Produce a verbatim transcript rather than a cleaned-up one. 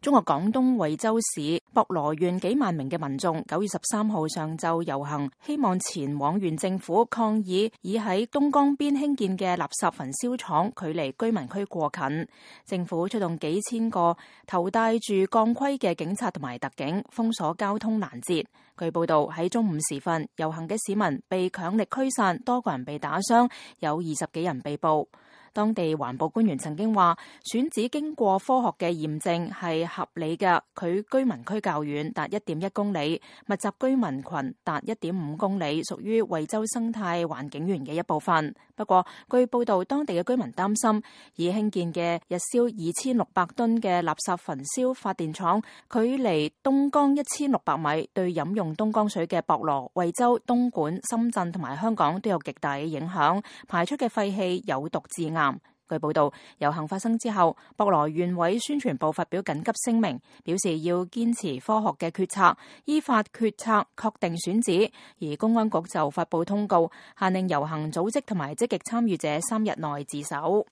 中國廣東惠州市博羅縣幾萬名嘅民眾九月十三號上晝遊行，希望前往縣政府抗議已喺東江邊興建嘅垃圾焚燒廠距離居民區過近，政府出動幾千個頭戴住鋼盔嘅警察同埋特警封鎖交通攔截。據報道喺中午時分，遊行嘅市民被強力驅散，多個人被打傷，有二十幾人被捕。當地環保官員曾經話，選址經過科學嘅驗證係合理嘅，佢居民區較遠，達一點一公里，密集居民群達一點五公里，屬於惠州生態環境園嘅一部分。不過，據報道，當地嘅居民擔心，已興建嘅日燒二千六百噸嘅垃圾焚燒發電廠，距離東江一千六百米，對飲用東江水嘅博羅、惠州、東莞、深圳同埋香港都有極大嘅影響，排出嘅廢氣有毒致癌。據報道，遊行發生之後，博羅縣委宣傳部發表緊急聲明，表示要堅持科學嘅決策，依法決策確定選址。而公安局就發布通告，限令遊行組織同埋積極參與者三日內自首。